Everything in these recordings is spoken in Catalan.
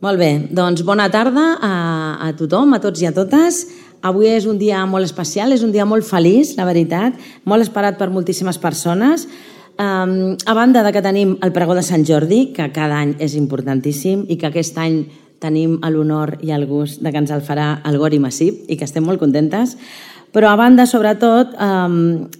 Molt bé, doncs bona tarda a tothom, a tots i a totes. Avui és un dia molt especial, és un dia molt feliç, la veritat, molt esperat per moltíssimes persones. A banda de que tenim el pregó de Sant Jordi, que cada any és importantíssim i que aquest any tenim l'honor i el gust de que ens el farà el Gori Massip i que estem molt contentes, però a banda, sobretot,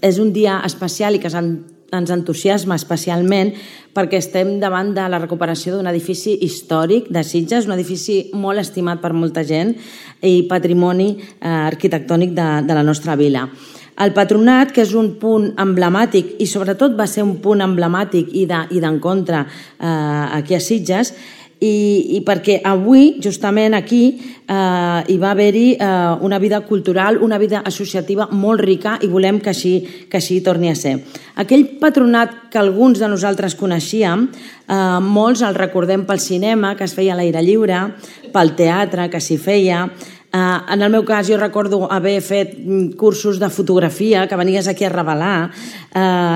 és un dia especial i que ens entusiasma especialment perquè estem davant de la recuperació d'un edifici històric de Sitges, un edifici molt estimat per molta gent i patrimoni arquitectònic de la nostra vila. El Patronat, que és un punt emblemàtic i sobretot va ser un punt emblemàtic i d'encontre aquí a Sitges, i perquè avui, justament aquí, hi va haver-hi una vida cultural, una vida associativa molt rica i volem que així torni a ser. Aquell patronat que alguns de nosaltres coneixíem, molts el recordem pel cinema, que es feia a l'aire lliure, pel teatre, que s'hi feia. En el meu cas, jo recordo haver fet cursos de fotografia, que venies aquí a revelar,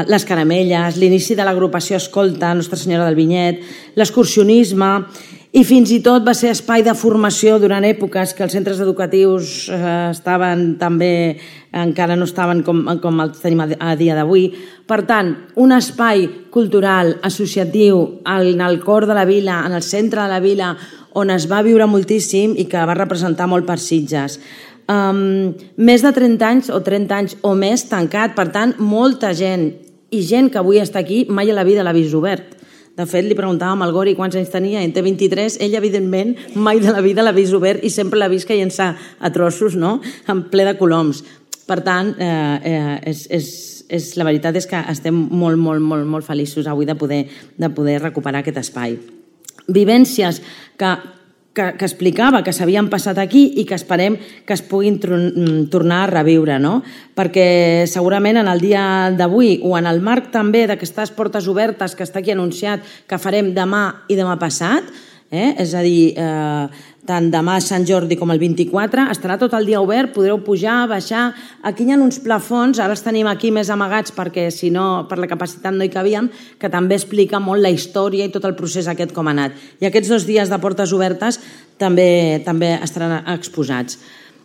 les caramelles, l'inici de l'agrupació Escolta, Nostra Senyora del Vinyet, l'excursionisme, i fins i tot va ser espai de formació durant èpoques que els centres educatius estaven també, encara no estaven com els tenim a dia d'avui. Per tant, un espai cultural, associatiu, en el cor de la vila, en el centre de la vila, on es va viure moltíssim i que va representar molt per Sitges. Més de 30 anys o 30 anys o més tancat, per tant, molta gent i gent que avui està aquí mai a la vida l'ha vist obert. De fet, li preguntàvem al Gori quants anys tenia, en té 23, ell, evidentment, mai de la vida l'ha vist obert i sempre l'ha vist caient-se a trossos, no?, en ple de coloms. Per tant, la veritat és que estem molt feliços avui de poder recuperar aquest espai. Vivències que explicava que s'havien passat aquí i que esperem que es puguin tornar a reviure, no? Perquè segurament en el dia d'avui o en el marc també d'aquestes portes obertes que està aquí anunciat que farem demà i demà passat, és a dir, tant demà a Sant Jordi com el 24, estarà tot el dia obert, podreu pujar, baixar. Aquí hi ha uns plafons, ara els tenim aquí més amagats perquè si no, per la capacitat no hi cabíem, que també explica molt la història i tot el procés aquest com ha anat. I aquests 2 dies de portes obertes també estaran exposats.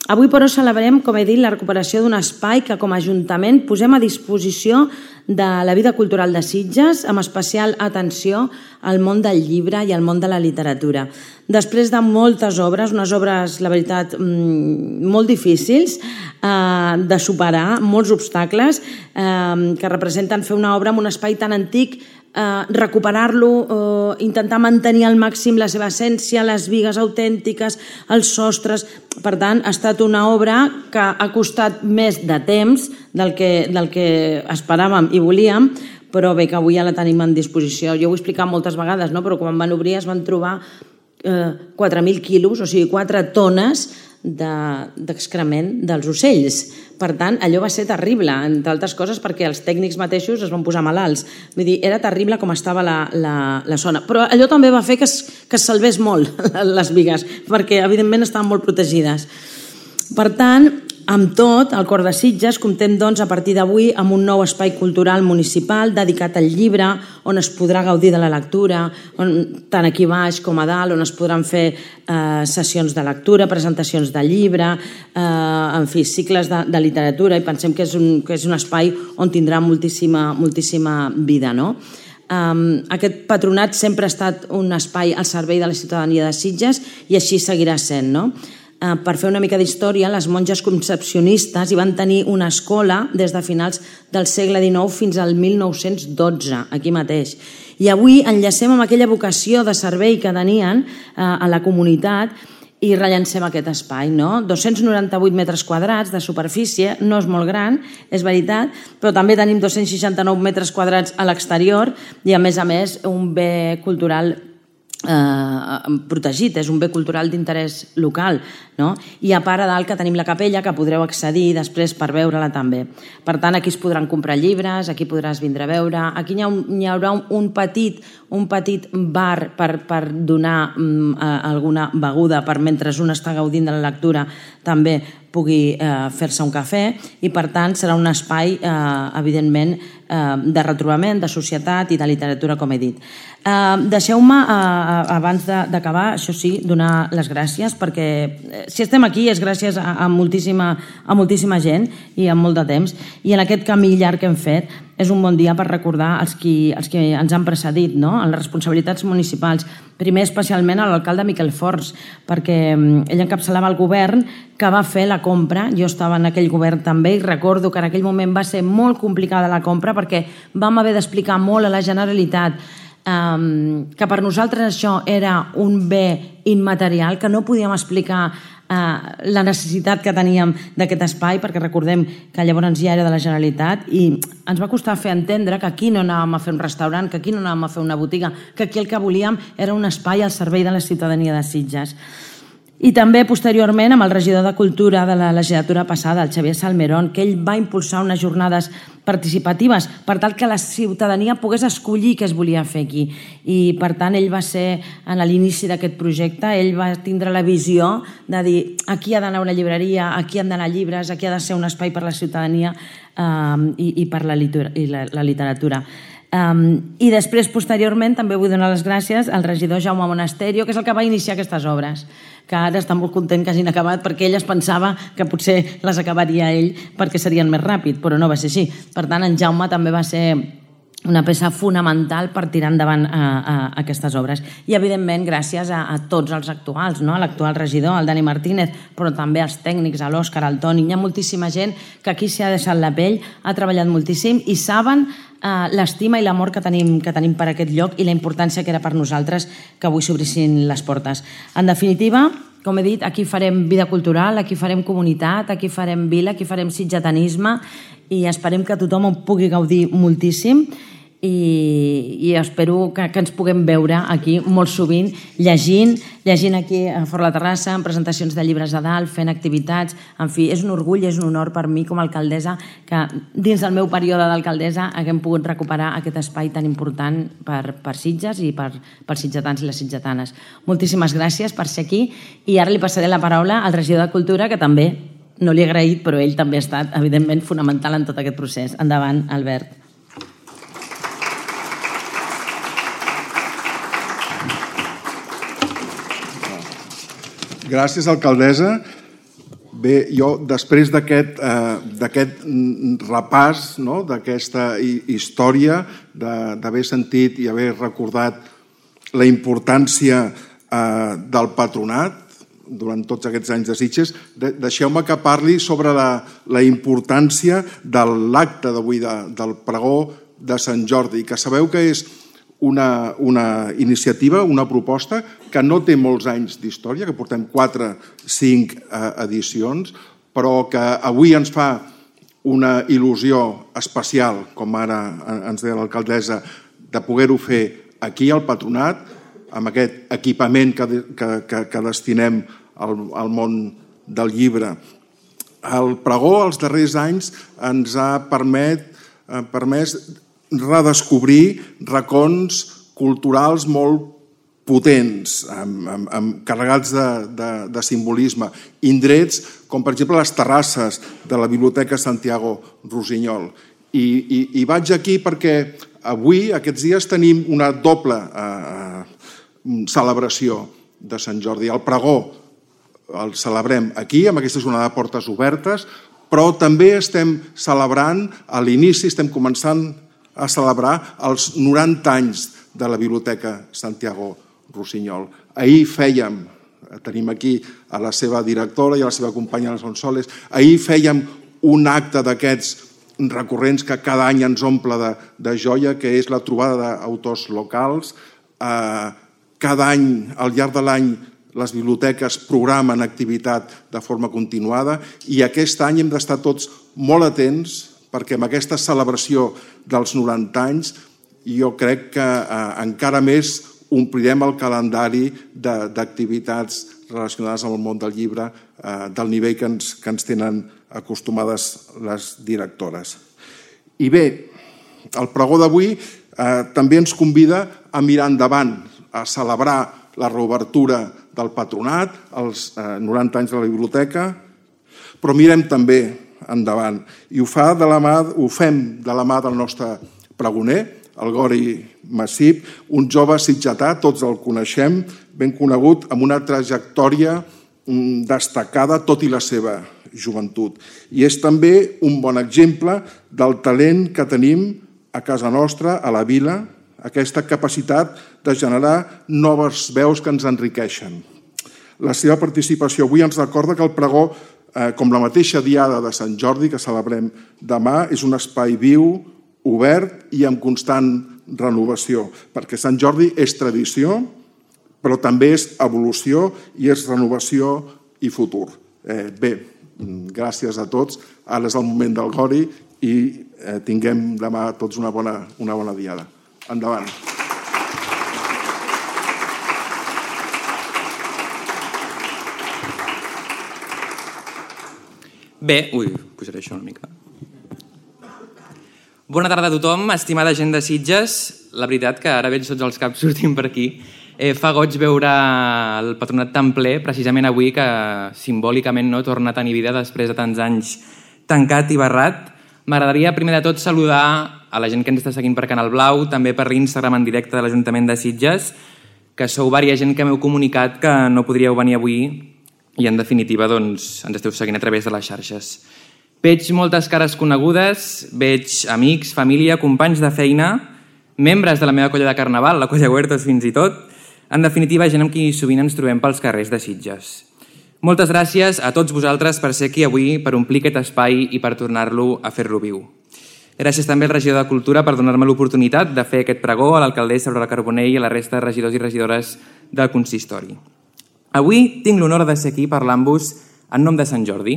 Avui, però, celebrem, com he dit, la recuperació d'un espai que, com a Ajuntament, posem a disposició de la vida cultural de Sitges, amb especial atenció al món del llibre i al món de la literatura. Després de moltes obres, unes obres, la veritat, molt difícils de superar, molts obstacles que representen fer una obra en un espai tan antic, recuperar-lo, intentar mantenir al màxim la seva essència, les bigues autèntiques, els sostres. Per tant, ha estat una obra que ha costat més de temps del que esperàvem i volíem, però bé, que avui ja la tenim en disposició. Jo ho he explicat moltes vegades, no? Però quan van obrir es van trobar 4.000 quilos, o sigui, 4 tones d'excrement dels ocells. Per tant, allò va ser terrible, entre altres coses perquè els tècnics mateixos es van posar malalts. Vull dir, era terrible com estava la zona. Però allò també va fer que es salvés molt les bigues, perquè evidentment estaven molt protegides. Per tant, amb tot, al Cor de Sitges comptem doncs a partir d'avui amb un nou espai cultural municipal dedicat al llibre, on es podrà gaudir de la lectura, tant aquí baix com a dalt, on es podran fer sessions de lectura, presentacions de llibre, en fi, cicles de literatura, i pensem que és un espai on tindrà moltíssima vida, no? Aquest patronat sempre ha estat un espai al servei de la ciutadania de Sitges i així seguirà sent, no? Per fer una mica d'història, les monges concepcionistes hi van tenir una escola des de finals del segle XIX fins al 1912, aquí mateix. I avui enllacem amb aquella vocació de servei que tenien a la comunitat i rellancem aquest espai, no? 298 metres quadrats de superfície, no és molt gran, és veritat, però també tenim 269 metres quadrats a l'exterior i, a més, un bé cultural protegit, és un bé cultural d'interès local, no? I a part a dalt que tenim la capella que podreu accedir després per veure-la també. Per tant, aquí es podran comprar llibres, aquí podràs vindre a veure, aquí hi haurà un petit bar per donar alguna beguda per mentre un està gaudint de la lectura també pugui fer-se un cafè i, per tant, serà un espai, evidentment, de retrobament, de societat i de literatura, com he dit. Deixeu-me, abans d'acabar, això sí, donar les gràcies, perquè si estem aquí és gràcies a moltíssima gent i a molt de temps, i en aquest camí llarg que hem fet és un bon dia per recordar els qui ens han precedit, no? En les responsabilitats municipals. Primer, especialment, a l'alcalde Miquel Forns, perquè ell encapçalava el govern que va fer la compra. Jo estava en aquell govern també i recordo que en aquell moment va ser molt complicada la compra perquè vam haver d'explicar molt a la Generalitat que per nosaltres això era un bé immaterial, que no podíem explicar la necessitat que teníem d'aquest espai, perquè recordem que llavors ja era de la Generalitat i ens va costar fer entendre que aquí no anàvem a fer un restaurant, que aquí no anàvem a fer una botiga, que aquí el que volíem era un espai al servei de la ciutadania de Sitges. I també, posteriorment, amb el regidor de Cultura de la legislatura passada, el Xavier Salmerón, que ell va impulsar unes jornades participatives per tal que la ciutadania pogués escollir què es volia fer aquí. I, per tant, ell va ser, en l'inici d'aquest projecte, ell va tindre la visió de dir aquí ha d'anar una llibreria, aquí han d'anar llibres, aquí ha de ser un espai per la ciutadania i per la literatura. I després, posteriorment, també vull donar les gràcies al regidor Jaume Monasterio, que és el que va iniciar aquestes obres, que ara està molt content que hagin acabat perquè ell es pensava que potser les acabaria ell perquè serien més ràpid, però no va ser així. Per tant, en Jaume també va ser una peça fonamental per tirar endavant aquestes obres. I, evidentment, gràcies a tots els actuals, no? A l'actual regidor, el Dani Martínez, però també als tècnics, a l'Òscar, al Toni. Hi ha moltíssima gent que aquí s'hi ha deixat la pell, ha treballat moltíssim i saben l'estima i l'amor que tenim per aquest lloc i la importància que era per nosaltres que avui s'obrissin les portes. En definitiva, com he dit, aquí farem vida cultural, aquí farem comunitat, aquí farem vila, aquí farem sitgetanisme i esperem que tothom en pugui gaudir moltíssim i espero que ens puguem veure aquí molt sovint llegint aquí a Fora la Terrassa, en presentacions de llibres a dalt, fent activitats. En fi, és un orgull, és un honor per mi com a alcaldessa que dins del meu període d'alcaldessa haguem pogut recuperar aquest espai tan important per Sitges i pels sitgetans i les sitgetanes. Moltíssimes gràcies per ser aquí i ara li passaré la paraula al regidor de Cultura, que també no li he agraït, però ell també ha estat, evidentment, fonamental en tot aquest procés. Endavant, Albert. Gràcies, alcaldessa. Bé, jo, després d'aquest repàs, d'aquesta història, d'haver sentit i haver recordat la importància del patronat durant tots aquests anys de Sitges, deixeu-me que parli sobre la importància de l'acte d'avui, del pregó de Sant Jordi, que sabeu que és una iniciativa, una proposta que no té molts anys d'història, que portem 4-5 edicions, però que avui ens fa una il·lusió especial, com ara ens deia l'alcaldessa, de poder-ho fer aquí al Patronat, amb aquest equipament que destinem al món del llibre. El pregó els darrers anys ens ha permès redescobrir racons culturals molt potents, carregats de simbolisme, indrets com per exemple les terrasses de la Biblioteca Santiago Rossinyol. I vaig aquí perquè avui, aquests dies, tenim una doble celebració de Sant Jordi. El pregó el celebrem aquí, amb aquesta jornada de portes obertes, però també estem celebrant, a l'inici estem començant a celebrar els 90 anys de la Biblioteca Santiago Rossinyol. Ahir tenim aquí a la seva directora i a la seva companya, les Sonsoles, ahir fèiem un acte d'aquests recurrents que cada any ens omple de joia, que és la trobada d'autors locals. Cada any, al llarg de l'any, les biblioteques programen activitat de forma continuada i aquest any hem d'estar tots molt atents perquè amb aquesta celebració dels 90 anys jo crec que encara més omplirem el calendari d'activitats relacionades amb el món del llibre del nivell que ens tenen acostumades les directores. I bé, el pregó d'avui també ens convida a mirar endavant, a celebrar la reobertura del Patronat, els 90 anys de la biblioteca, però mirem també endavant. I ho fem de la mà del nostre pregoner, el Gori Massip, un jove sitgetà, tots el coneixem, ben conegut, amb una trajectòria destacada tot i la seva joventut. I és també un bon exemple del talent que tenim a casa nostra, a la vila, aquesta capacitat de generar noves veus que ens enriqueixen. La seva participació avui ens recorda que el pregó, com la mateixa diada de Sant Jordi, que celebrem demà, és un espai viu, obert i amb constant renovació, perquè Sant Jordi és tradició, però també és evolució i és renovació i futur. Bé, gràcies a tots. Ara és el moment del Gori i tinguem demà tots una bona diada. Endavant. Bé, posaré això una mica. Bona tarda a tothom, estimada gent de Sitges. La veritat que ara veig tots els caps sortint per aquí. Fa goig veure el patronat tan ple, precisament avui, que simbòlicament torna a tenir vida després de tants anys tancat i barrat. M'agradaria, primer de tot, saludar a la gent que ens està seguint per Canal Blau, també per l'Instagram en directe de l'Ajuntament de Sitges, que sou vària gent que m'heu comunicat que no podríeu venir avui i, en definitiva, ens esteu seguint a través de les xarxes. Veig moltes cares conegudes, veig amics, família, companys de feina, membres de la meva colla de carnaval, la colla Huertos fins i tot, en definitiva, gent amb qui sovint ens trobem pels carrers de Sitges. Moltes gràcies a tots vosaltres per ser aquí avui, per omplir aquest espai i per tornar-lo a fer-lo viu. Gràcies també al regidor de Cultura per donar-me l'oportunitat de fer aquest pregó, a l'alcaldessa Aurora Carbonell i a la resta de regidors i regidores del consistori. Avui tinc l'honor de ser aquí parlant-vos en nom de Sant Jordi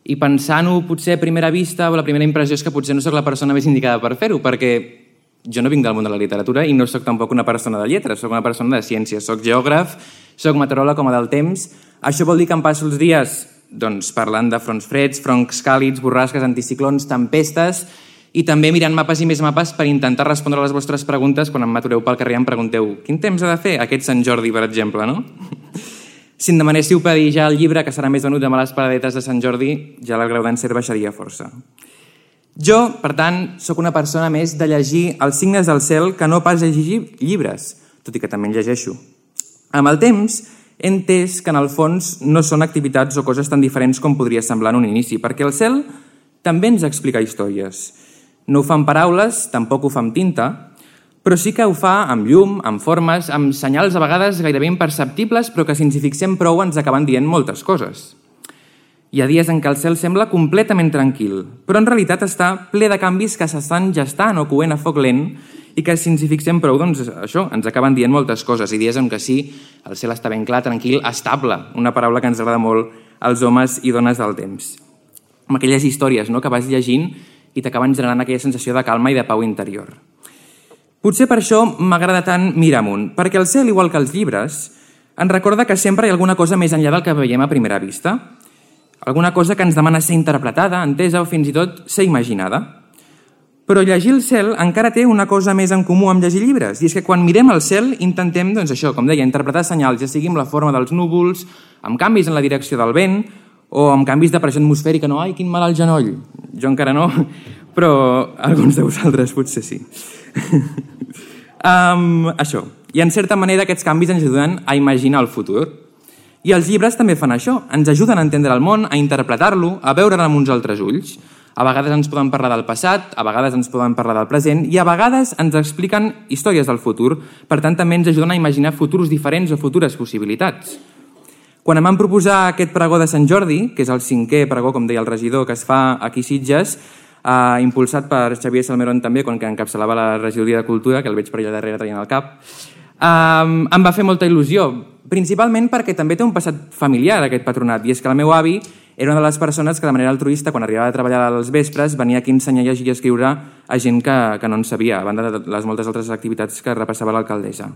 i pensant-ho potser a primera vista o la primera impressió és que potser no sóc la persona més indicada per fer-ho, perquè jo no vinc del món de la literatura i no sóc tampoc una persona de lletres, sóc una persona de ciències, sóc geògraf, sóc meteoròleg com a del temps. Això vol dir que em passo els dies parlant de fronts freds, fronts càlids, borrasques, anticiclons, tempestes i també mirant mapes i més mapes per intentar respondre a les vostres preguntes quan em m'atureu pel carrer i em pregunteu quin temps ha de fer aquest Sant Jordi, per exemple, no? Si em demanéssiu pedir ja el llibre que serà més venut amb les paradetes de Sant Jordi, ja el grau d'encert baixaria força. Jo, per tant, sóc una persona més de llegir els signes del cel que no pas llegir llibres, tot i que també en llegeixo. Amb el temps, he entès que en el fons no són activitats o coses tan diferents com podria semblar en un inici, perquè el cel també ens explica històries. No ho fa amb paraules, tampoc ho fa amb tinta, però sí que ho fa amb llum, amb formes, amb senyals a vegades gairebé imperceptibles, però que si ens hi fixem prou ens acaben dient moltes coses. Hi ha dies en què el cel sembla completament tranquil, però en realitat està ple de canvis que s'estan gestant o coent a foc lent i que si ens hi fixem prou, doncs això, ens acaben dient moltes coses. I dies en què sí, el cel està ben clar, tranquil, estable, una paraula que ens agrada molt als homes i dones del temps. Amb aquelles històries que vas llegint i t'acaben generant aquella sensació de calma i de pau interior. Potser per això m'agrada tant mirar amunt, perquè el cel, igual que els llibres, ens recorda que sempre hi ha alguna cosa més enllà del que veiem a primera vista. Alguna cosa que ens demana ser interpretada, entesa o fins i tot ser imaginada. Però llegir el cel encara té una cosa més en comú amb llegir llibres, i és que quan mirem el cel intentem, doncs això, com deia, interpretar senyals, ja sigui amb la forma dels núvols, amb canvis en la direcció del vent, o amb canvis de pressió atmosfèrica, no? Ai, quin mal al genoll! Jo encara no, però alguns de vosaltres potser sí. Això. I en certa manera aquests canvis ens ajuden a imaginar el futur. I els llibres també fan això, ens ajuden a entendre el món, a interpretar-lo, a veure'l amb uns altres ulls. A vegades ens poden parlar del passat, a vegades ens poden parlar del present i a vegades ens expliquen històries del futur. Per tant, també ens ajuden a imaginar futurs diferents o futures possibilitats. Quan em van proposar aquest pregó de Sant Jordi, que és el 5è pregó, com deia el regidor, que es fa aquí a Sitges, impulsat per Xavier Salmerón també, quan encapçalava la regidoria de Cultura, que el veig per allà darrere traient el cap, em va fer molta il·lusió, principalment perquè també té un passat familiar aquest patronat, i és que el meu avi era una de les persones que de manera altruista, quan arribava a treballar als vespres, venia aquí a ensenyar a llegir i a escriure a gent que no en sabia, a banda de les moltes altres activitats que repassava l'alcaldessa.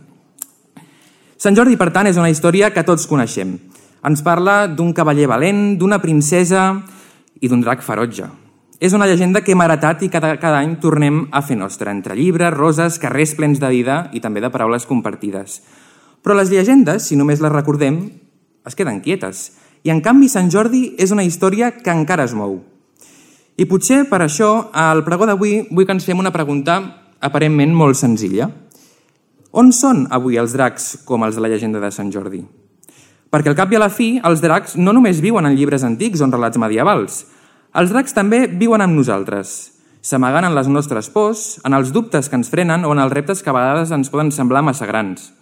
Sant Jordi, per tant, és una història que tots coneixem. Ens parla d'un cavaller valent, d'una princesa i d'un drac ferotge. És una llegenda que hem heretat i cada any tornem a fer nostra, entre llibres, roses, carrers plens de vida i també de paraules compartides. Però les llegendes, si només les recordem, es queden quietes. I en canvi Sant Jordi és una història que encara es mou. I potser per això al pregó d'avui vull que ens fem una pregunta aparentment molt senzilla. On són avui els dracs com els de la llegenda de Sant Jordi? Perquè al cap i a la fi els dracs no només viuen en llibres antics o en relats medievals. Els dracs també viuen amb nosaltres, s'amagant en les nostres pors, en els dubtes que ens frenen o en els reptes que a vegades ens poden semblar massa grans.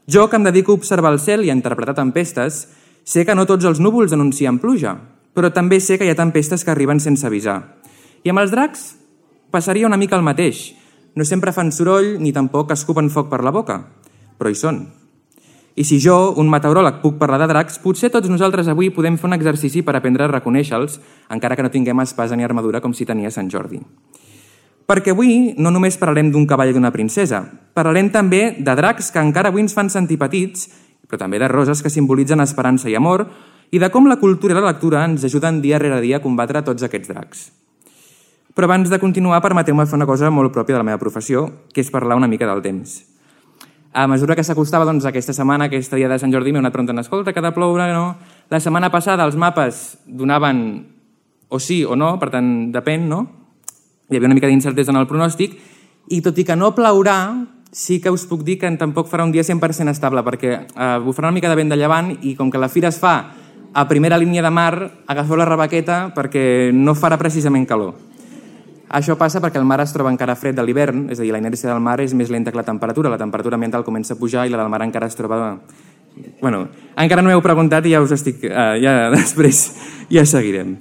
Jo, que em dedico a observar el cel i a interpretar tempestes, sé que no tots els núvols anuncien pluja, però també sé que hi ha tempestes que arriben sense avisar. I amb els dracs passaria una mica el mateix. No sempre fan soroll ni tampoc escupen foc per la boca, però hi són. I si jo, un meteoròleg, puc parlar de dracs, potser tots nosaltres avui podem fer un exercici per aprendre a reconèixer-los, encara que no tinguem espasa ni armadura com si tenia Sant Jordi. Perquè avui no només parlarem d'un cavall i d'una princesa, parlarem també de dracs que encara avui ens fan sentir petits, però també de roses que simbolitzen esperança i amor, i de com la cultura i la lectura ens ajuden dia rere dia a combatre tots aquests dracs. Però abans de continuar, permeteu-me fer una cosa molt pròpia de la meva professió, que és parlar una mica del temps. A mesura que s'acostava aquesta setmana, aquest dia de Sant Jordi, m'he anat preguntant, escolta, que ha de ploure, no? La setmana passada els mapes donaven o sí o no, per tant, depèn, no? Hi havia una mica d'incertesa en el pronòstic, i tot i que no plourà, sí que us puc dir que tampoc farà un dia 100% estable, perquè bufarà una mica de vent de llevant i com que la fira es fa a primera línia de mar, agafeu la rebaqueta perquè no farà precisament calor. Això passa perquè el mar es troba encara fred de l'hivern, és a dir, la inèrcia del mar és més lenta que la temperatura ambiental comença a pujar i la del mar encara es troba... Bueno, encara no m'heu preguntat i ja us estic... Ja després ja seguirem.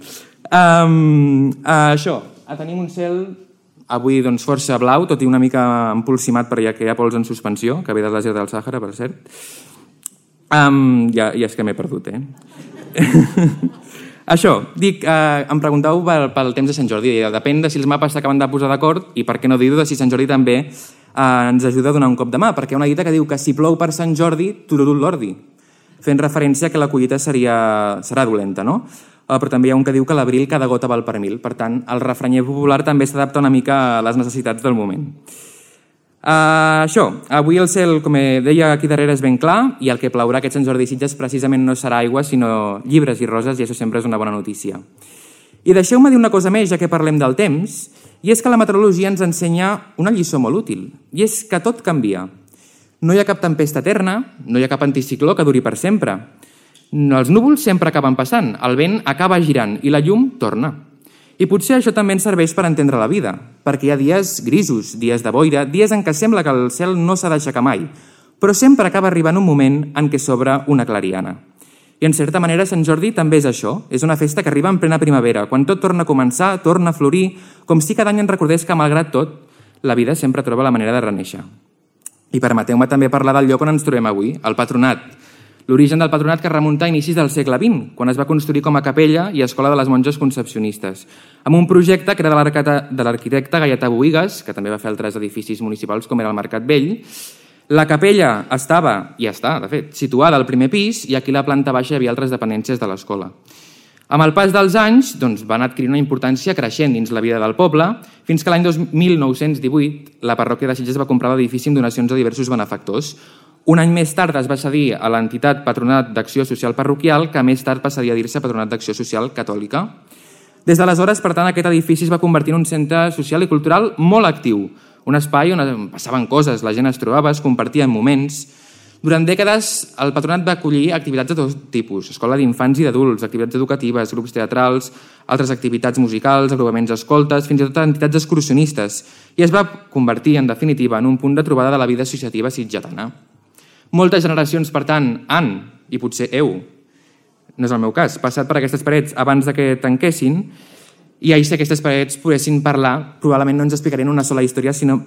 Això, tenim un cel avui doncs força blau, tot i una mica empolsimat per ja que hi ha pols en suspensió, que ve del desert del Sàhara, per cert. Ja és que m'he perdut, Això, dic, em pregunteu pel temps de Sant Jordi. Depèn de si els mapes s'acaben de posar d'acord i per què no dir-ho de si Sant Jordi també ens ajuda a donar un cop de mà, perquè hi ha una dita que diu que si plou per Sant Jordi, tururut l'ordi, fent referència que la collita serà dolenta, no? Però també hi ha un que diu que l'abril cada gota val per mil. Per tant, el refranyer popular també s'adapta una mica a les necessitats del moment. Això, avui el cel, com deia aquí darrere, és ben clar i el que plourà aquest Sant Jordi i Sitges precisament no serà aigua, sinó llibres i roses, i això sempre és una bona notícia. I deixeu-me dir una cosa més, ja que parlem del temps, i és que la meteorologia ens ensenya una lliçó molt útil, i és que tot canvia. No hi ha cap tempesta eterna, no hi ha cap anticicló que duri per sempre. Els núvols sempre acaben passant, el vent acaba girant i la llum torna. I potser això també ens serveix per entendre la vida, perquè hi ha dies grisos, dies de boira, dies en què sembla que el cel no s'ha d'aixecar mai, però sempre acaba arribant un moment en què s'obre una clariana. I en certa manera Sant Jordi també és això, és una festa que arriba en plena primavera, quan tot torna a començar, torna a florir, com si cada any ens recordés que malgrat tot, la vida sempre troba la manera de renéixer. I permeteu-me també parlar del lloc on ens trobem avui, el Patronat. L'origen del Patronat que remunta a inicis del segle XX, quan es va construir com a capella i escola de les monges concepcionistes, amb un projecte que era de l'arquitecte Gaietà Bohigas, que també va fer altres edificis municipals com era el Mercat Vell. La capella estava, i està, de fet, situada al primer pis i aquí a la planta baixa hi havia altres dependències de l'escola. Amb el pas dels anys van adquirir una importància creixent dins la vida del poble, fins que l'any 1918 la parròquia de Sitges va comprar l'edifici amb donacions a diversos benefactors. Un any més tard es va cedir a l'entitat Patronat d'Acció Social Parroquial, que més tard passaria a dir-se Patronat d'Acció Social Catòlica. Des d'aleshores, per tant, aquest edifici es va convertir en un centre social i cultural molt actiu, un espai on passaven coses, la gent es trobava, es compartien moments. Durant dècades, el Patronat va acollir activitats de tot tipus, escola d'infants i d'adults, activitats educatives, grups teatrals, altres activitats musicals, agrupaments escoltes, fins i tot entitats excursionistes, i es va convertir, en definitiva, en un punt de trobada de la vida associativa sitgetana. Moltes generacions, per tant, han, i potser heu, no és el meu cas, passat per aquestes parets abans que tanquessin, i ahir si aquestes parets poguessin parlar, probablement no ens explicarien una sola història, sinó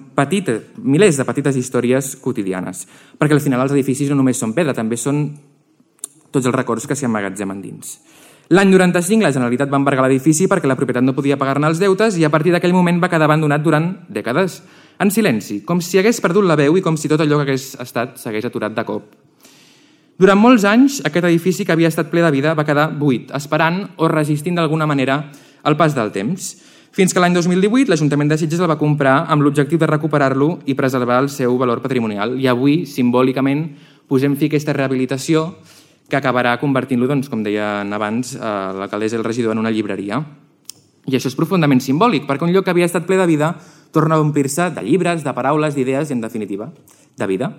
milers de petites històries quotidianes. Perquè al final els edificis no només són pedra, també són tots els records que s'hi emmagatzemen dins. L'any 95 la Generalitat va embargar l'edifici perquè la propietat no podia pagar-ne els deutes i a partir d'aquell moment va quedar abandonat durant dècades, en silenci, com si hagués perdut la veu i com si tot allò que hagués estat s'hagués aturat de cop. Durant molts anys, aquest edifici que havia estat ple de vida va quedar buit, esperant o resistint d'alguna manera el pas del temps, fins que l'any 2018 l'Ajuntament de Sitges el va comprar amb l'objectiu de recuperar-lo i preservar el seu valor patrimonial. I avui, simbòlicament, posem fi a aquesta rehabilitació que acabarà convertint-lo, com deien abans, l'alcaldessa i el regidor en una llibreria. I això és profundament simbòlic, perquè un lloc que havia estat ple de vida torna a omplir-se de llibres, de paraules, d'idees i, en definitiva, de vida.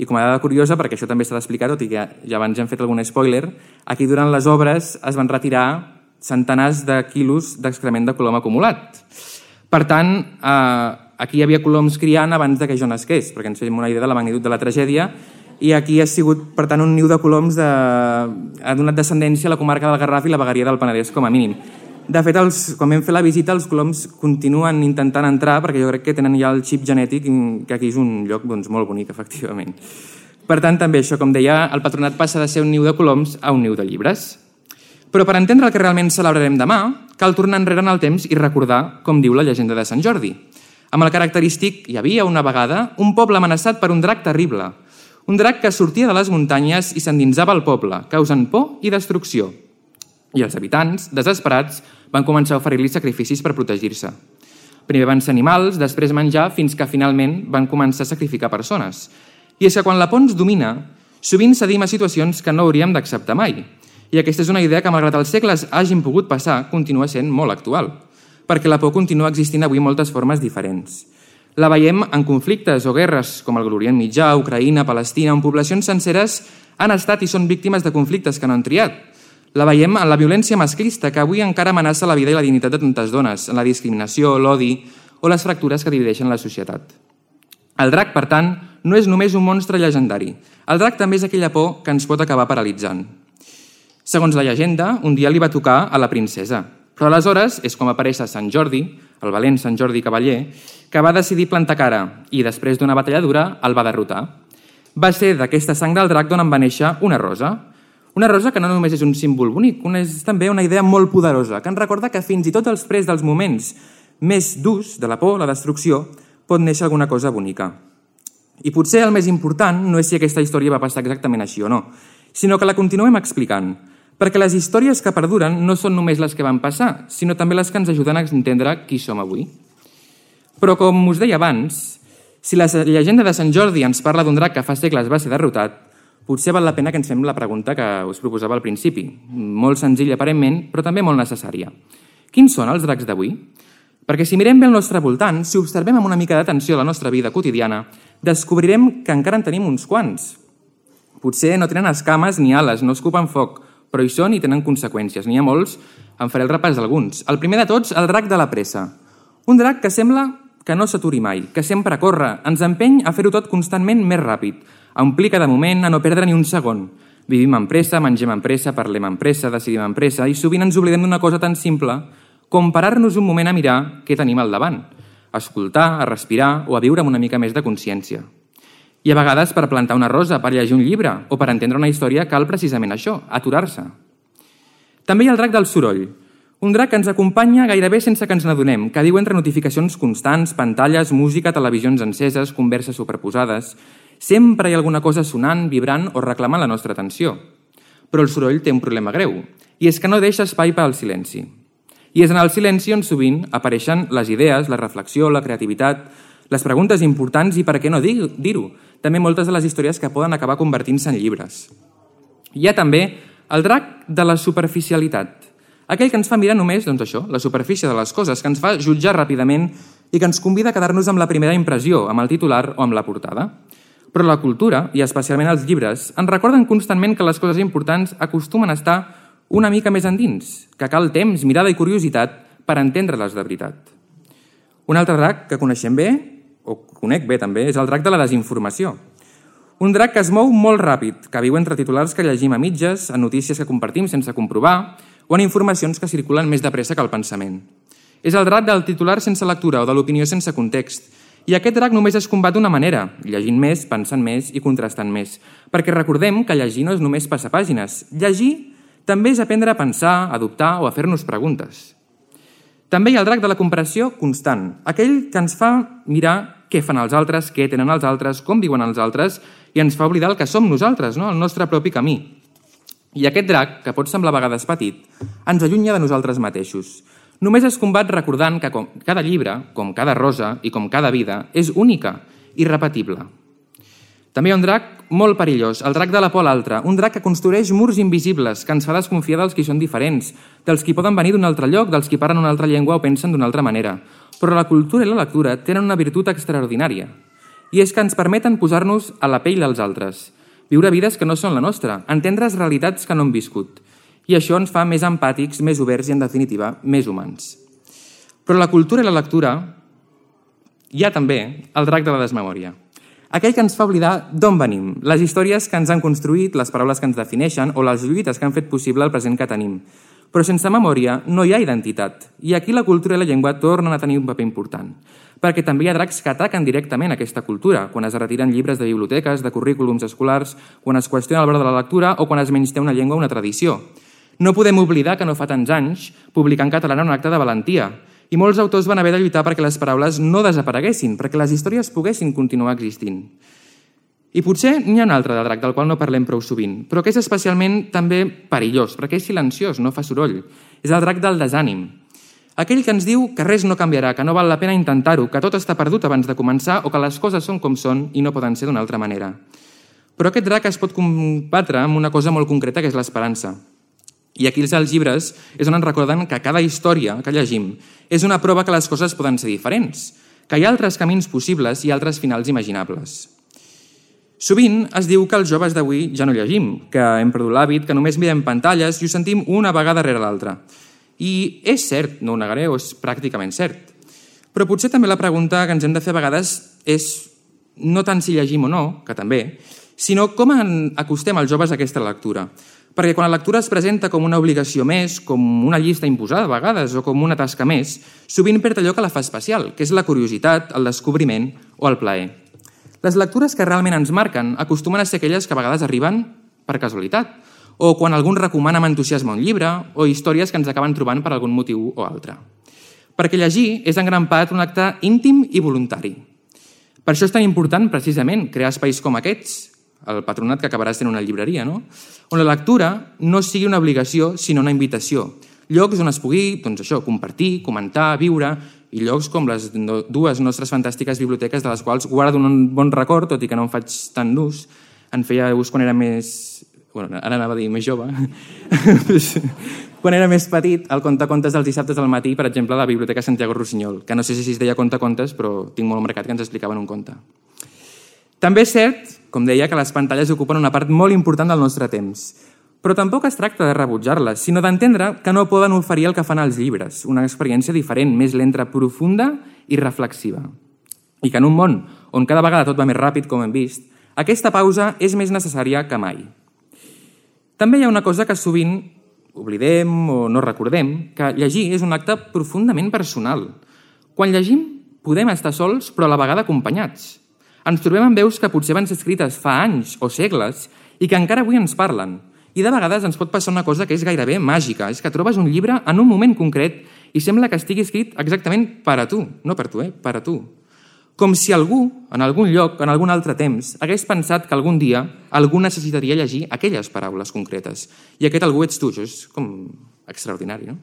I com a dada curiosa, perquè això també s'ha d'explicar, tot i que ja abans hem fet algun spoiler, aquí durant les obres es van retirar centenars de quilos d'excrement de colom acumulat. Per tant, aquí hi havia coloms criant abans que jo nasqués, perquè ens fem una idea de la magnitud de la tragèdia, i aquí ha sigut, per tant, un niu de coloms ha donat descendència a la comarca del Garraf i la vegueria del Penedès, com a mínim. De fet, quan vam fer la visita, els coloms continuen intentant entrar, perquè jo crec que tenen ja el xip genètic, que aquí és un lloc molt bonic, efectivament. Per tant, també això, com deia, el patronat passa de ser un niu de coloms a un niu de llibres. Però per entendre el que realment celebrarem demà, cal tornar enrere en el temps i recordar com diu la llegenda de Sant Jordi. Amb el característic, hi havia una vegada un poble amenaçat per un drac terrible, un drac que sortia de les muntanyes i s'endinsava al poble, causant por i destrucció. I els habitants, desesperats, van començar a oferir-li sacrificis per protegir-se. Primer van ser animals, després menjar, fins que finalment van començar a sacrificar persones. I és que quan la por ens domina, sovint cedim a situacions que no hauríem d'acceptar mai. I aquesta és una idea que, malgrat els segles hagin pogut passar, continua sent molt actual, perquè la por continua existint avui en moltes formes diferents. La veiem en conflictes o guerres com el Orient Mitjà, Ucraïna, Palestina, on poblacions senceres han estat i són víctimes de conflictes que no han triat. La veiem en la violència masclista, que avui encara amenaça la vida i la dignitat de tantes dones, en la discriminació, l'odi o les fractures que divideixen la societat. El drac, per tant, no és només un monstre llegendari. El drac també és aquella por que ens pot acabar paralitzant. Segons la llegenda, un dia li va tocar a la princesa, però aleshores és com apareix Sant Jordi, el valent Sant Jordi Cavaller, que va decidir plantar cara i, després d'una batalla dura, el va derrotar. Va ser d'aquesta sang del drac d'on en va néixer una rosa. Una rosa que no només és un símbol bonic, és també una idea molt poderosa, que ens recorda que fins i tot després dels moments més durs de la por, la destrucció, pot néixer alguna cosa bonica. I potser el més important no és si aquesta història va passar exactament així o no, sinó que la continuem explicant, perquè les històries que perduren no són només les que van passar, sinó també les que ens ajuden a entendre qui som avui. Però, com us deia abans, si la llegenda de Sant Jordi ens parla d'un drac que fa segles va ser derrotat, potser val la pena que ens fem la pregunta que us proposava al principi, molt senzilla aparentment, però també molt necessària. Quins són els dracs d'avui? Perquè si mirem bé al nostre voltant, si observem amb una mica d'atenció la nostra vida quotidiana, descobrirem que encara en tenim uns quants. Potser no tenen escames ni ales, no escupen foc, però hi són i tenen conseqüències. N'hi ha molts, en faré el repàs d'alguns. El primer de tots, el drac de la pressa. Un drac que sembla que no s'aturi mai, que sempre corre, ens empeny a fer-ho tot constantment més ràpid, a omplir cada moment, a no perdre ni un segon. Vivim en pressa, mengem en pressa, parlem en pressa, decidim en pressa i sovint ens oblidem d'una cosa tan simple com parar-nos un moment a mirar què tenim al davant, a escoltar, a respirar o a viure amb una mica més de consciència. I a vegades per plantar una rosa, per llegir un llibre o per entendre una història cal precisament això, aturar-se. També hi ha el drac del soroll, un drac que ens acompanya gairebé sense que ens n'adonem, que viu entre notificacions constants, pantalles, música, televisions enceses, converses superposades. Sempre hi ha alguna cosa sonant, vibrant o reclamant la nostra atenció. Però el soroll té un problema greu, i és que no deixa espai per al silenci. I és en el silenci on sovint apareixen les idees, la reflexió, la creativitat, les preguntes importants i, per què no dir-ho, també moltes de les històries que poden acabar convertint-se en llibres. Hi ha també el drac de la superficialitat, aquell que ens fa mirar només, això, la superfície de les coses, que ens fa jutjar ràpidament i que ens convida a quedar-nos amb la primera impressió, amb el titular o amb la portada. Però la cultura, i especialment els llibres, ens recorden constantment que les coses importants acostumen a estar una mica més endins, que cal temps, mirada i curiositat per entendre-les de veritat. Un altre drac que coneixem bé, o conec bé també, és el drac de la desinformació. Un drac que es mou molt ràpid, que viu entre titulars que llegim a mitges, en notícies que compartim sense comprovar, o en informacions que circulen més de pressa que el pensament. És el drac del titular sense lectura o de l'opinió sense context. I aquest drac només es combat d'una manera, llegint més, pensant més i contrastant més. Perquè recordem que llegir no és només passar pàgines. Llegir també és aprendre a pensar, a dubtar o a fer-nos preguntes. També hi ha el drac de la comparació constant, aquell que ens fa mirar què fan els altres, què tenen els altres, com viuen els altres, i ens fa oblidar el que som nosaltres, no? El nostre propi camí. I aquest drac, que pot semblar a vegades petit, ens allunya de nosaltres mateixos. Només es combat recordant que com cada llibre, com cada rosa i com cada vida, és única, irrepetible. També hi ha un drac molt perillós, el drac de la por a l'altre, un drac que construeix murs invisibles, que ens fa desconfiar dels qui són diferents, dels qui poden venir d'un altre lloc, dels qui parlen una altra llengua o pensen d'una altra manera. Però la cultura i la lectura tenen una virtut extraordinària, i és que ens permeten posar-nos a la pell dels altres, viure vides que no són la nostra, entendre realitats que no hem viscut. I això ens fa més empàtics, més oberts i, en definitiva, més humans. Però la cultura i la lectura hi ha també el drac de la desmemòria. Aquell que ens fa oblidar d'on venim, les històries que ens han construït, les paraules que ens defineixen o les lluites que han fet possible el present que tenim. Però sense memòria no hi ha identitat, i aquí la cultura i la llengua tornen a tenir un paper important. Perquè també hi ha dracs que ataquen directament aquesta cultura, quan es retiren llibres de biblioteques, de currículums escolars, quan es qüestiona el valor de la lectura o quan es menysté una llengua o una tradició. No podem oblidar que no fa tants anys publicar en català un acte de valentia, i molts autors van haver de lluitar perquè les paraules no desapareguessin, perquè les històries poguessin continuar existint. I potser n'hi ha un altre de drac del qual no parlem prou sovint, però que és especialment també perillós, perquè és silenciós, no fa soroll. És el drac del desànim. Aquell que ens diu que res no canviarà, que no val la pena intentar-ho, que tot està perdut abans de començar o que les coses són com són i no poden ser d'una altra manera. Però aquest drac es pot combatre amb una cosa molt concreta, que és l'esperança. I aquí els llibres és on ens recorden que cada història que llegim és una prova que les coses poden ser diferents, que hi ha altres camins possibles i altres finals imaginables. Sovint es diu que els joves d'avui ja no llegim, que hem perdut l'hàbit, que només mirem pantalles i ho sentim una vegada rere l'altra. I és cert, no ho negaré, és pràcticament cert. Però potser també la pregunta que ens hem de fer a vegades és no tant si llegim o no, que també, sinó com acostem els joves a aquesta lectura. Perquè quan la lectura es presenta com una obligació més, com una llista imposada a vegades o com una tasca més, sovint perd allò que la fa especial, que és la curiositat, el descobriment o el plaer. Les lectures que realment ens marquen acostumen a ser aquelles que a vegades arriben per casualitat, o quan algú recomana amb entusiasme un llibre, o històries que ens acaben trobant per algun motiu o altre. Perquè llegir és en gran part un acte íntim i voluntari. Per això és tan important, precisament, crear espais com aquests, el patronat que acabarà sent una llibreria, no? On la lectura no sigui una obligació, sinó una invitació. Llocs on es pugui, compartir, comentar, viure, i llocs com les dues nostres fantàstiques biblioteques de les quals guardo un bon record, tot i que no en faig tant d'ús. En feia ús quan era més... ara anava a dir més jove. Quan era més petit, el contacontes dels dissabtes al matí, per exemple, a la Biblioteca Santiago Rossinyol, que no sé si es deia contacontes, però tinc molt marcat que ens explicaven un conte. També és cert, com deia, que les pantalles ocupen una part molt important del nostre temps. Però tampoc es tracta de rebutjar-les, sinó d'entendre que no poden oferir el que fan els llibres, una experiència diferent, més lenta, profunda i reflexiva. I que en un món on cada vegada tot va més ràpid, com hem vist, aquesta pausa és més necessària que mai. També hi ha una cosa que sovint oblidem o no recordem, que llegir és un acte profundament personal. Quan llegim, podem estar sols, però a la vegada acompanyats. Ens trobem amb veus que potser van ser escrites fa anys o segles i que encara avui ens parlen. I de vegades ens pot passar una cosa que és gairebé màgica, és que trobes un llibre en un moment concret i sembla que estigui escrit exactament per a tu, no per tu, per a tu. Com si algú, en algun lloc, en algun altre temps, hagués pensat que algun dia algú necessitaria llegir aquelles paraules concretes. I aquest algú ets tu, això és com extraordinari, no?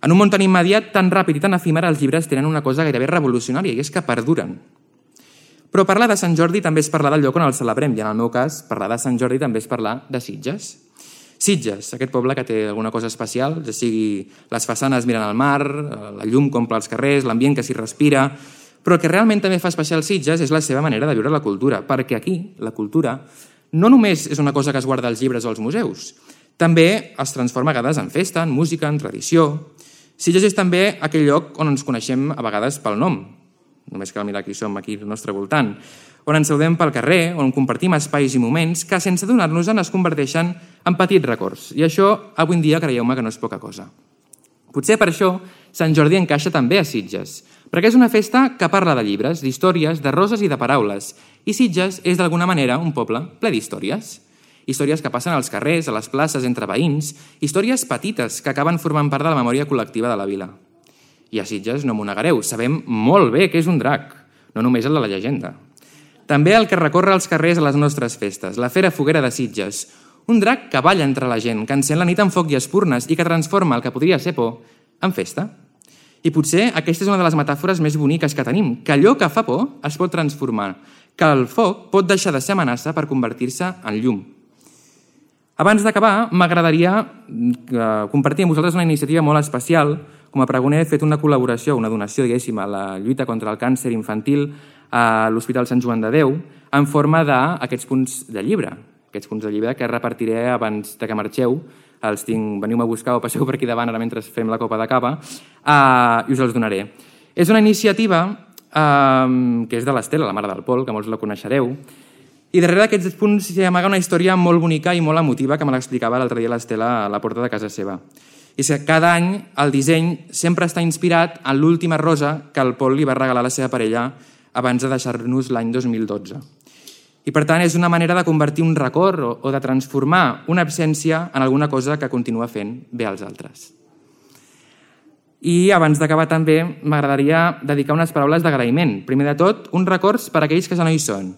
En un món tan immediat, tan ràpid i tan efímer, els llibres tenen una cosa gairebé revolucionària, i és que perduren. Però parlar de Sant Jordi també és parlar del lloc on el celebrem, i en el meu cas, parlar de Sant Jordi també és parlar de Sitges. Sitges, aquest poble que té alguna cosa especial, ja sigui les façanes mirant al mar, la llum que omple els carrers, l'ambient que s'hi respira, però el que realment també fa especial Sitges és la seva manera de viure la cultura, perquè aquí, la cultura, no només és una cosa que es guarda als llibres o als museus, també es transforma a vegades en festa, en música, en tradició. Sitges és també aquell lloc on ens coneixem a vegades pel nom, només cal mirar qui som aquí al nostre voltant, on ens saludem pel carrer, on compartim espais i moments que, sense adonar-nos-en, es converteixen en petits records. I això, avui en dia, creieu-me que no és poca cosa. Potser per això Sant Jordi encaixa també a Sitges, perquè és una festa que parla de llibres, d'històries, de roses i de paraules. I Sitges és, d'alguna manera, un poble ple d'històries. Històries que passen als carrers, a les places, entre veïns, històries petites que acaben formant part de la memòria col·lectiva de la vila. I a Sitges, no m'ho negareu, sabem molt bé què és un drac, no només el de la llegenda. També el que recorre els carrers a les nostres festes, la Fera Foguera de Sitges, un drac que balla entre la gent, que encén la nit amb foc i espurnes i que transforma el que podria ser por en festa. I potser aquesta és una de les metàfores més boniques que tenim, que allò que fa por es pot transformar, que el foc pot deixar de ser amenaça per convertir-se en llum. Abans d'acabar, m'agradaria compartir amb vosaltres una iniciativa molt especial. Com a pregoner he fet una col·laboració, una donació, diguéssim, a la lluita contra el càncer infantil a l'Hospital Sant Joan de Déu, en forma d'aquests punts de llibre. Aquests punts de llibre que repartiré abans de que marxeu. Els tinc, veniu-me a buscar o passeu per aquí davant ara mentre fem la copa de cava, i us els donaré. És una iniciativa que és de l'Estela, la mare del Pol, que molts la coneixereu, i darrere d'aquests punts s'hi amaga una història molt bonica i molt emotiva que me l'explicava l'altre dia l'Estela a la porta de casa seva. I és que cada any el disseny sempre està inspirat en l'última rosa que el Pol li va regalar a la seva parella abans de deixar-nos l'any 2012. I per tant és una manera de convertir un record o de transformar una absència en alguna cosa que continua fent bé als altres. I abans d'acabar també m'agradaria dedicar unes paraules d'agraïment. Primer de tot, uns records per a aquells que ja no hi són.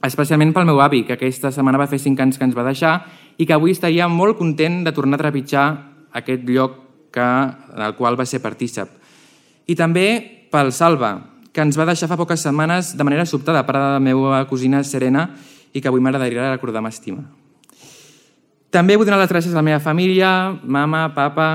Especialment pel meu avi, que aquesta setmana va fer 5 anys que ens va deixar i que avui estaria molt content de tornar a trepitjar aquest lloc en el qual va ser partícip. I també pel Salva, que ens va deixar fa poques setmanes de manera sobtada, pare de la meva cosina Serena, i que avui m'agradaria recordar amb estima. També vull donar les gràcies a la meva família, mama, papa,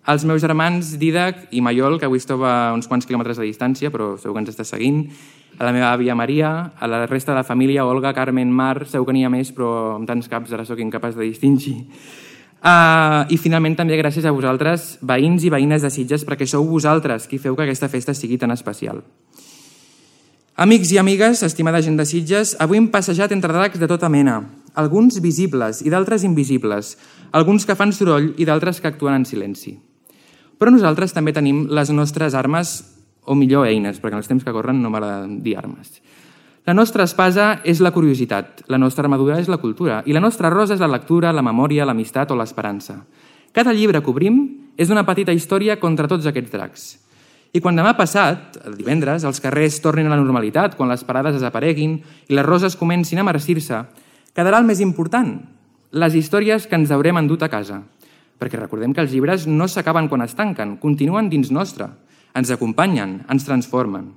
als meus germans Didac i Maiol, que avui estava a uns quants quilòmetres de distància, però segur que ens està seguint, a la meva àvia Maria, a la resta de la família, Olga, Carmen, Mar, segur que n'hi ha més, però amb tants caps ara sóc incapaç de distingir. I finalment també gràcies a vosaltres, veïns i veïnes de Sitges, perquè sou vosaltres qui feu que aquesta festa sigui tan especial. Amics i amigues, estimada gent de Sitges, avui hem passejat entre dracs de tota mena, alguns visibles i d'altres invisibles, alguns que fan soroll i d'altres que actuen en silenci. Però nosaltres també tenim les nostres armes, o millor eines, perquè en els temps que corren no m'agrada dir armes. La nostra espasa és la curiositat, la nostra armadura és la cultura i la nostra rosa és la lectura, la memòria, l'amistat o l'esperança. Cada llibre que obrim és una petita història contra tots aquests dracs. I quan demà passat, el divendres, els carrers tornin a la normalitat, quan les parades desapareguin i les roses comencin a marcir-se, quedarà el més important, les històries que ens haurem endut a casa. Perquè recordem que els llibres no s'acaben quan es tanquen, continuen dins nostre, ens acompanyen, ens transformen.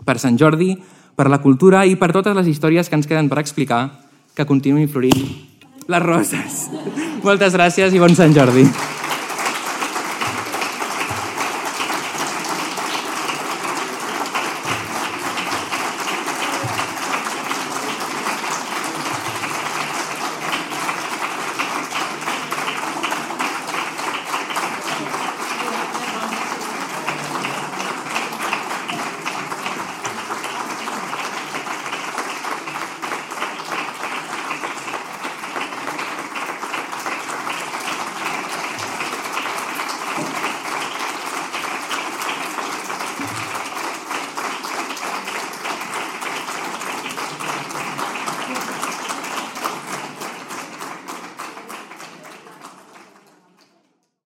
Per Sant Jordi, per la cultura i per totes les històries que ens queden per explicar, que continuïn florint les roses. Moltes gràcies i bon Sant Jordi.